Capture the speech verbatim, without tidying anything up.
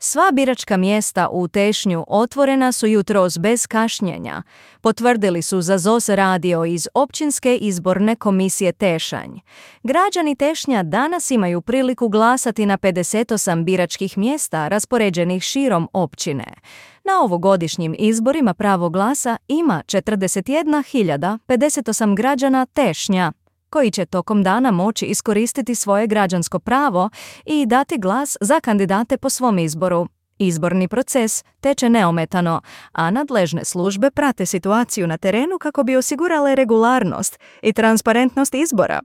Sva biračka mjesta u Tešnju otvorena su jutros bez kašnjenja, potvrdili su za Z O S radio iz Općinske izborne komisije Tešanj. Građani Tešnja danas imaju priliku glasati na pedeset osam biračkih mjesta raspoređenih širom općine. Na ovogodišnjim izborima pravo glasa ima četrdeset jedna hiljada pedeset osam građana Tešnja, koji će tokom dana moći iskoristiti svoje građansko pravo i dati glas za kandidate po svom izboru. Izborni proces teče neometano, a nadležne službe prate situaciju na terenu kako bi osigurale regularnost i transparentnost izbora.